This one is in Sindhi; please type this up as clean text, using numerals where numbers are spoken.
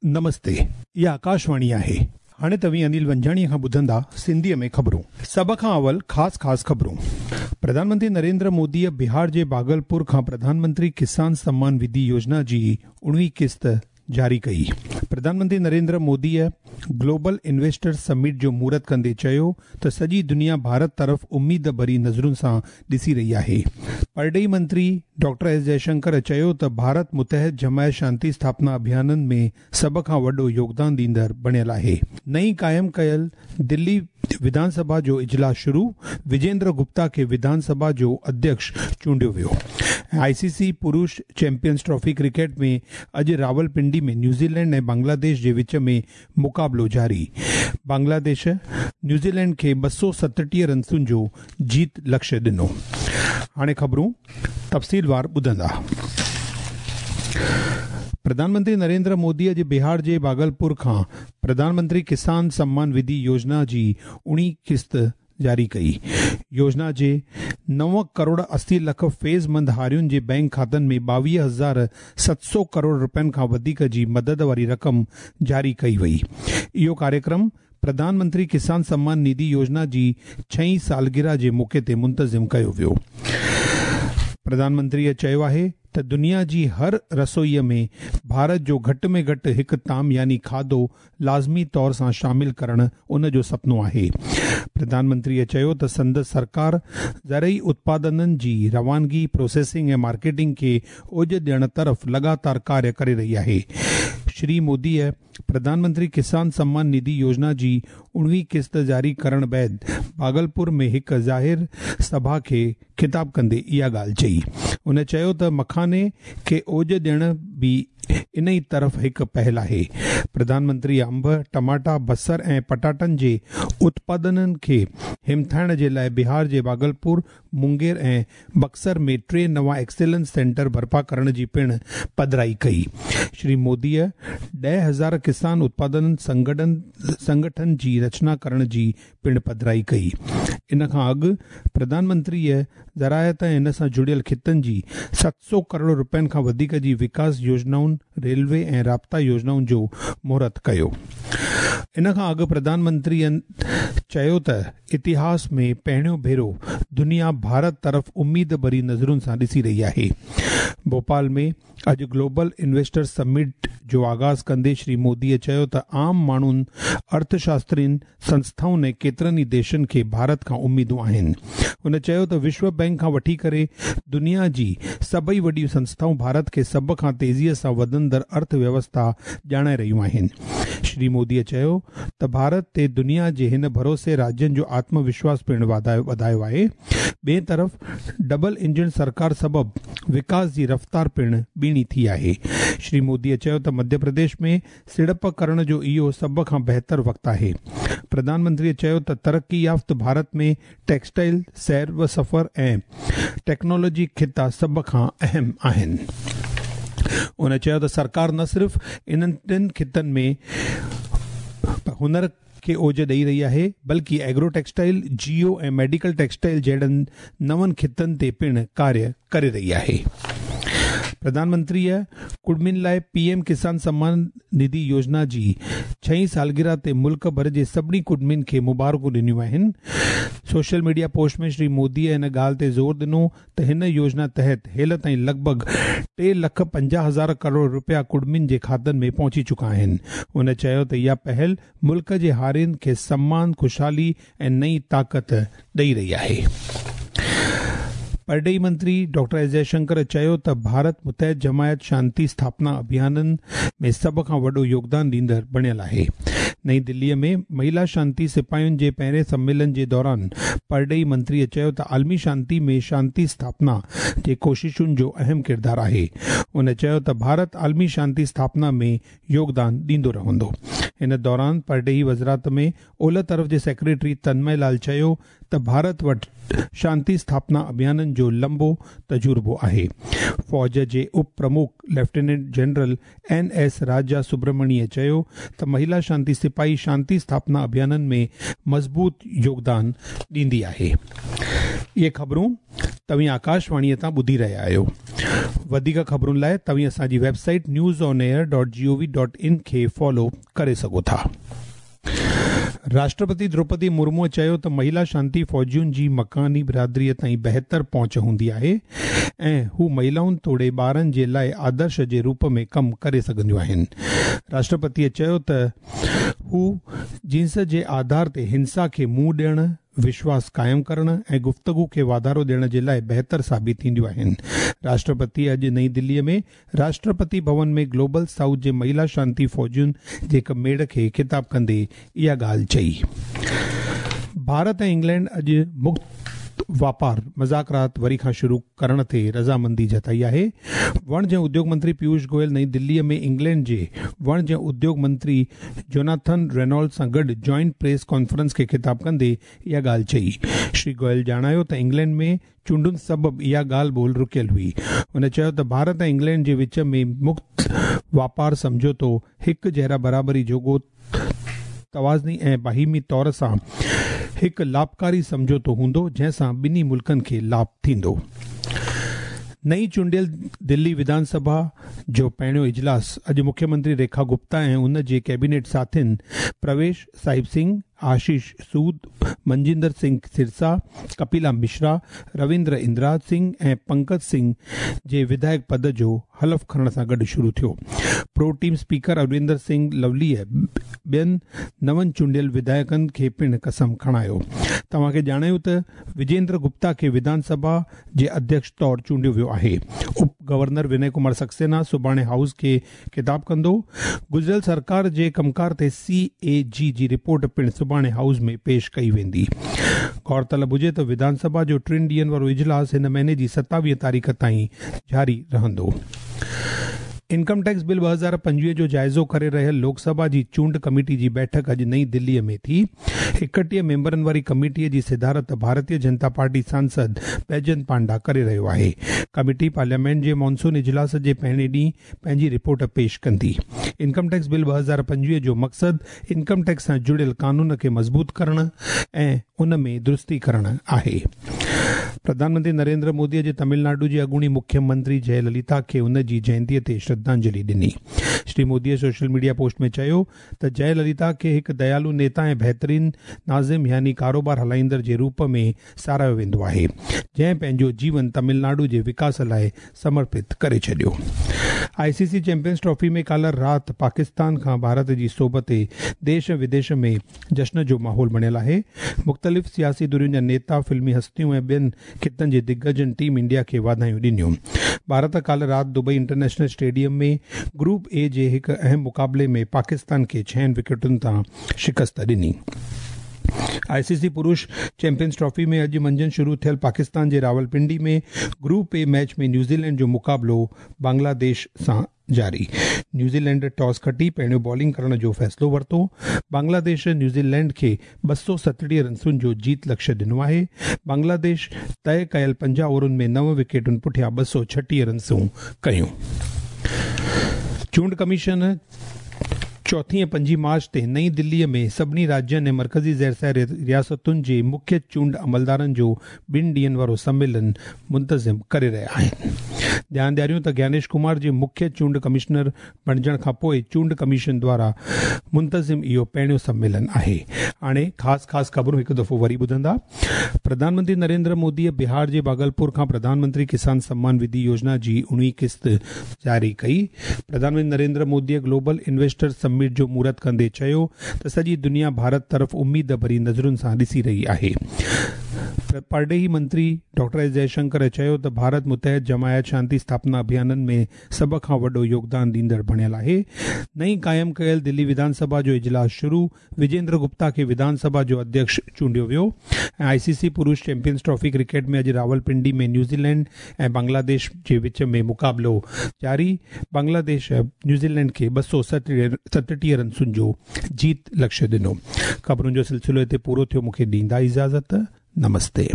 نمستي، اها آڪاشواڻي آهي. هاڻي توهين انيل ونجاڻيء کان ٻڌندا سنڌيء ۾ خبرون. سڀ کان اول خاص خاص خبرون. پرڌان منتري نريندر موديء بهار جي ڀاگلپور کان پرڌان منتري ڪسان سمان نڌي يوجنا جي اڻويهين قسط جاري ڪئي. Pradhan Mantri Narendra موديء global investors summit جو مهورت ڪندي چيو ته سڄي دنيا ڀارت طرف اميد ڀري نظرن سان ڏسي رهي آهي. پرڏيهي منتري ڊاڪٽر ايس جئشنڪر چيو ته ڀارت متحد جماعت شانتي اسٿاپنا اڀيانن ۾ سڀ کان وڏو يوگدان ڏيندڙ بڻيل آهي. نئين قائم ڪيل دلي وڌان سڀا جو اجلاس شروع، وجيندر گپتا کي وڌان سڀا جو اڌيڪش چونڊيو ويو. ۽ آء سي سي پرش چيمپيئنز ٽرافي ڪرڪيٽ ۾ اڄ راولپنڊي ۾ نيوزيلينڊ ۽ بنگلاديش جي وچ ۾ مقابلو جاري، بنگلاديش نيوزيلينڊ کي 237 رنسن جو جيت لڪشيه ڏنو. هاڻي خبرون تفصيلوار ٻڌندا. پرڌان منتري نريندر مودي اڄ بهار جي ڀاگلپور کان پرڌان منتري ڪسان سمان نڌي يوجنا جي اڻويهين قسط جاري ڪئي. يوجنا جي نو ڪروڙ 80 لک فيض مند هارين جي بئنڪ کاتن ۾ 22,700 ڪروڙ رپين کان وڌيڪ جي مدد واري رقم جاري ڪئي وئي. اهو ڪاريڪرم پرڌان منتري ڪسان سمان نڌي يوجنا جي ڇهين سالگرهه جي موقعي تي منتظم ڪيو ويو. پرڌان منتريء چيو آهي ته دنيا جي هر رسوئيء ۾ ڀارت جو گهٽ ۾ گهٽ هڪ طعام يعني کاڌو لازمي طور سان شامل ڪرڻ ان جو سپنو آهي. پرڌان منتريء چيو ته سندس سرڪار زرعي اتپادنن جي روانگي، پروسيسنگ ۽ مارڪيٽنگ کي اوڄ ڏيڻ طرف لڳاتار ڪاريه ڪري رهي آهي. شري موديء پرڌان منتري ڪسان سمان نڌي يوجنا جي اڻويهين قسط جاري ڪرڻ بعد ڀاگلپور ۾ هڪ ظاهر سڀا کي خطاب ڪندي اها ڳالهه چئي. هن چيو ته مکاني کي اوڄ ڏيڻ به انهي طرف هڪ پهل آهي. پرڌان منتري انب، ٽماٽا، بصر ۽ پٽاٽن جي اتپادنن کي همٿائڻ جي لاء بهار جي ڀاگلپور، مونگير ۽ بڪسر ۾ ٽي نوان ايڪسيلنس سينٽر برپا ڪرڻ جي پڻ پڌرائي ڪئي. شري موديء 10,000 ڪسان اتپادن سنگٺن جي رچنا ڪرڻ جي پڻ پڌرائي ڪئي. ان کان اڳ پرڌان منتريء زراعت ۽ ان سان جڙيل خطن جي 700 ڪروڙ رپين کان وڌيڪ جي وڪاس يوجنائن، ريلوي ۽ رابطا يوجنائن جو مهورت ڪيو. ان کان اڳ پرڌان منتريء چيو ته اتهاس ۾ پهريون ڀيرو دنيا ڀارت طرف اميد ڀري نظرن سان ڏسي رهي آهي. ڀوپال ۾ اڄ گلوبل انويسٽرز سمٽ جو آغاز ڪندي شري موديء چيو ته عام ماڻهن، ارٿ شاسترين، سنسٿائن ۽ ڪيترن ئي ديشن کي ڀارت کان اميدون آهن. هن چيو ته وشو بئنڪ کان وٺي ڪري دنيا جي سڀئي وڏيون سنسٿائون ڀارت کي سڀ کان تيزيء سان وڌندڙ ارٿ ويوسٿا ڄاڻائي رهيون آهن. شري موديء چيو ته ڀارت تي دنيا جي هن ڀروسي راجين جو آتم وشواس پڻ وڌايو آهي. ٻئي طرف ڊبل انجڻ سرڪار سبب وڪاس جي رفتار پڻ ٻيڻي ٿي آهي. شري موديء چيو ته مڌيه پرديش ۾ سيڙپ ڪرڻ جو اهو سڀ کان بهتر وقت آهي. پرڌان منتريء چيو ته ترقي يافته ڀارت ۾ ٽيڪسٽائل، سير و سفر ۽ ٽيڪنالاجي خطا سڀ کان اهم آهن. هن چيو ته سرڪار نه صرف انهن ٽن خطن ۾ هنر کي اوج ڏئي رهي آهي بلڪه ايگرو ٽيڪسٽائل، جيو ۽ ميڊيڪل ٽيڪسٽائل جهڙن نون خطن تي پڻ ڪاريه ڪري رهي آهي. پرڌان منتريء ڪڙمين لاء پي ايم ڪسان سمان نڌي يوجنا جي ڇهين سالگرهه تي ملڪ ڀر جي سڀني ڪڙمين کي مبارڪون ڏنيون آهن. سوشل ميڊيا پوسٽ ۾ شري موديء ان ڳالهه تي زور ڏنو ته هن يوجنا تحت هيل تائين لڳ ڀڳ ٽي لک 50 هزار ڪروڙ رپيا ڪڙمين جي کاتن ۾ پهچي چڪا آهن. هن چيو ته اها پهل ملڪ جي هارين کي سمان، خوشحالي ۽ نئين طاقت ڏئي رهي آهي. پرڏيهي منتري ڊاڪٽر ايس جئشنڪر چيو ته ڀارت متحد جماعت شانتي اسٿاپنا اڀيانن ۾ سڀ کان وڏو يوگدان ڏيندڙ بڻيل آهي. نئين دليء ۾ مهيلا شانتي سپاهين جي پهرين سميلن جي دوران پرڏيهي منتريء چيو ته عالمي شانتي ۾ شانتي اسٿاپنا جي ڪوششن جو اهم ڪردار آهي. هن چيو ته ڀارت عالمي شانتي اسٿاپنا ۾ يوگدان ڏيندو رهندو. ان دوران پرڏيهي وزارت ۾ اولهه طرف جي سيڪريٽري تنمي لال چيو ته ڀارت وٽ شانتي اسٿاپنا اڀيانن جو لنبو تجربو آهي. فوج جي اپ پرمک lieutenant general N S Raja سبرمڻيء چيو ته مهيلا شانتي سپاهي شانتي اسٿاپنا اڀيانن ۾ مضبوط يوگدان ڏيندي آهي. اهي خبرون توهين آڪاشواڻيء تان ٻڌي رهيا آهيو. وڌيڪ خبرن لاء توهين اسان جي website news on air dot G O V dot in کي فالو ڪري سگهو ٿا. راشٽرپتي دروپدي مرموء چيو ته مهيلا شانتي فوجين جي مڪاني برادريء تائين بهتر پهچ هوندي آهي ۽ هو مهيلائن توڙي ٻارن جي لاء آدرش جي روپ ۾ ڪم ڪري سگهنديون آهن. راشٽرپتيء چيو ته هو جنس جي آڌار تي هنسا کي منهن ڏيڻ، وشواس قائم ڪرڻ ۽ گفتگو کي واڌارو ڏيڻ جي لاء بهتر ثابت ٿينديون آهن. راشٽرپتيء اڄ نئين دليء ۾ راشٽرپتي ڀون ۾ گلوبل سائوٿ جي مهيلا شانتي فوجين جي هڪ ميڙ کي خطاب ڪندي اها ڳالهه چئي. ڀارت ۽ انگلينڊ اڄ مڪت واپار مذاڪرات وري کان شروع ڪرڻ تي رضامندي جتائي آهي. وڻج ۽ اديوڳ منتري پيوش گويل نئين دلي ۾ انگلينڊ جي وڻج ۽ اديوڳ منتري جوناٿن رينولڊز سان گڏ جوائنٽ پريس ڪانفرنس کي خطاب ڪندي اها ڳالهه چئي. شري گويل ڄاڻايو ته انگلينڊ ۾ چونڊن سبب اها ڳالهه ٻولهه رڪيل هئي. هن چيو ته ڀارت ۽ انگلينڊ جي وچ ۾ مڪت واپار سمجهوتو هڪ جهڙا برابري جوڳو توازني ۽ باهمي طور سان هڪ لاڀڪاري سمجهوتو هوندو جنهن سان ٻنهي ملڪن کي لاڀ ٿيندو. نئين چونڊيل دلي وڌان سڀا جو پهريون اجلاس اڄ مکيه منتري ريکا گپتا ۽ ان جي ڪيبينيٽ ساٿين پرويش صاحب سنگهه، آشيش سود، منجندر سنگهه سرسا، ڪپيلا مشرا، رويندر اندراج سنگهه ۽ پنڪج سنگهه جي وڌايڪ پد جو حلف کڻڻ سان گڏ شروع ٿيو. پرو ٽيم اسپيڪر ارويندر سنگهه لوليء ٻين نون چونڊيل وڌايڪن کي پڻ قسم کڻايو. توهان کي ڄاڻايون ته وجيندر گپتا کي وڌان سڀا جي اڌيڪش طور چونڊيو ويو آهي. اپ گورنر ونئي ڪمار سڪسينا سڀاڻي هائوس کي خطاب ڪندو. گذريل سرڪار جي ڪمڪار تي سي اي جي جي رپورٽ پڻ سڀاڻي هائوس ۾ پيش ڪئي ويندي. غور طلب هجي ته وڌان سڀا جو ٽن ڏينهن وارو اجلاس هن مهيني جي 27 تاريخ تائين جاري رهندو. انڪم ٽيڪس بل 2025 جو جائزو ڪري رهيل لوڪ سڀا جي چونڊ ڪميٽي جي بيٺڪ اڄ نئين دلي ۾ ٿي. 31 ميمبرن واري ڪميٽي جي صدارت ڀارتيه جنتا پارٽي سانسد بيجنت پانڊا ڪري رهيو آهي. ڪميٽي پارليامينٽ جي مانسون اجلاس جي پهرين ڏينهن پنهنجي رپورٽ پيش ڪندي. انڪم ٽيڪس بل 2025 جو مقصد انڪم ٽيڪس سان جڙيل قانون کي مضبوط ڪرڻ ۽ ان ۾ درستي ڪرڻ آهي. پرڌان منتري نريندر مودي اڄ تمل ناڊو جي اڳوڻي مکيه منتري جئه لليتا کي ان جي جينتي تي شرڌانجلي ڏني. Shri Modi social media post ۾ چيو ته جئه لليتا کي هڪ ديالو نيتا ۽ بهترين ناظم يعني ڪاروبار هلائيندڙ جي روپ ۾ ساراهيو ويندو آهي، جنهن پنهنجو جيون تمل ناڊو جي وڪاس لاء سمرپت ڪري ڇڏيو. I C C champions trophy ۾ ڪالهه رات پاڪستان کان ڀارت جي سوڀ تي ديش ۽ وديش ۾ جشن جو ماحول بڻيل آهي. مختلف سياسي ڌرين جا نيتا، فلمي هستيون ۽ ٻين خطن جي دگجن ٽيم انڊيا کي واڌايون ڏنيون. ڀارت ڪالهه رات Dubai international stadium ۾ group A جي هڪ اهم مقابلي ۾ پاڪستان کي ڇهن وڪيٽن تان شڪست ڏني. آء سي سي پرش چيمپيئنز ٽرافي ۾ اڄ منجهند شروع ٿيل پاڪستان جي Rawalpindi ۾ group A match ۾ New Zealand جو مقابلو بنگلاديش سان جاري. نيوزيلينڊ ٽاس کٽي پهريون بالنگ ڪرڻ جو فيصلو ورتو. بنگلاديش نيوزيلينڊ کي 237 رنسن جو جيت لڪشيه ڏنو آهي. بنگلاديش طئي ڪيل 50 اوورن ۾ نو وڪيٽن پٺيان 236 رنسون ڪيون. چونڊ ڪميشن چوٿين ۽ پنجين مارچ تي نئين دلي ۾ سڀني راجين ۽ مرڪزي زيرسايه رياستن جي مکيه چونڊ عملدارن جو ٻن ڏينهن وارو سميلن منتظم ڪري رهيا آهن. ڌيان ڏياريون ته گيانيش ڪمار جي مکيه چونڊ ڪمشنر بڻجڻ کان پوء چونڊ ڪميشن دوارا منتظم اهو پهريون سميلن آهي. هاڻي خاص خاص خبرون هڪ دفعو وري ٻڌندا. پرڌان منتري نريندر موديء بهار جي ڀاگلپور کان پرڌان منتري ڪسان سمان وڌي يوجنا جي اڻويهين قسط جاري ڪئي. Pradhan Mantri Narendra موديء global investors summit جو مهورت ڪندي چيو ته سڄي دنيا ڀارت طرف اميد ڀري نظرن سان ڏسي رهي آهي. پرڏيهي منتري ڊاڪٽر ايس جئشنڪر چيو ته ڀارت متحد جماعت شانتي اسٿاپنا اڀيانن ۾ سڀ کان وڏو يوگدان ڏيندڙ بڻيل آهي. نئين قائم ڪيل دلي وڌان سڀا جو اجلاس شروع، وجيندر گپتا کي وڌان سڀا جو اڌيڪش چونڊيو ويو ۽ آء سي سي پرش چيمپيئنز ٽرافي ڪرڪيٽ ۾ اڄ راولپنڊي ۾ نيوزيلينڊ ۽ بنگلاديش جي وچ ۾ مقابلو جاري، بنگلاديش نيوزيلينڊ کي 237 رنسن جو جيت لڪشيه ڏنو. خبرن جو سلسلو هتي پورو ٿيو مون کي ڏيندا اجازت نمستي.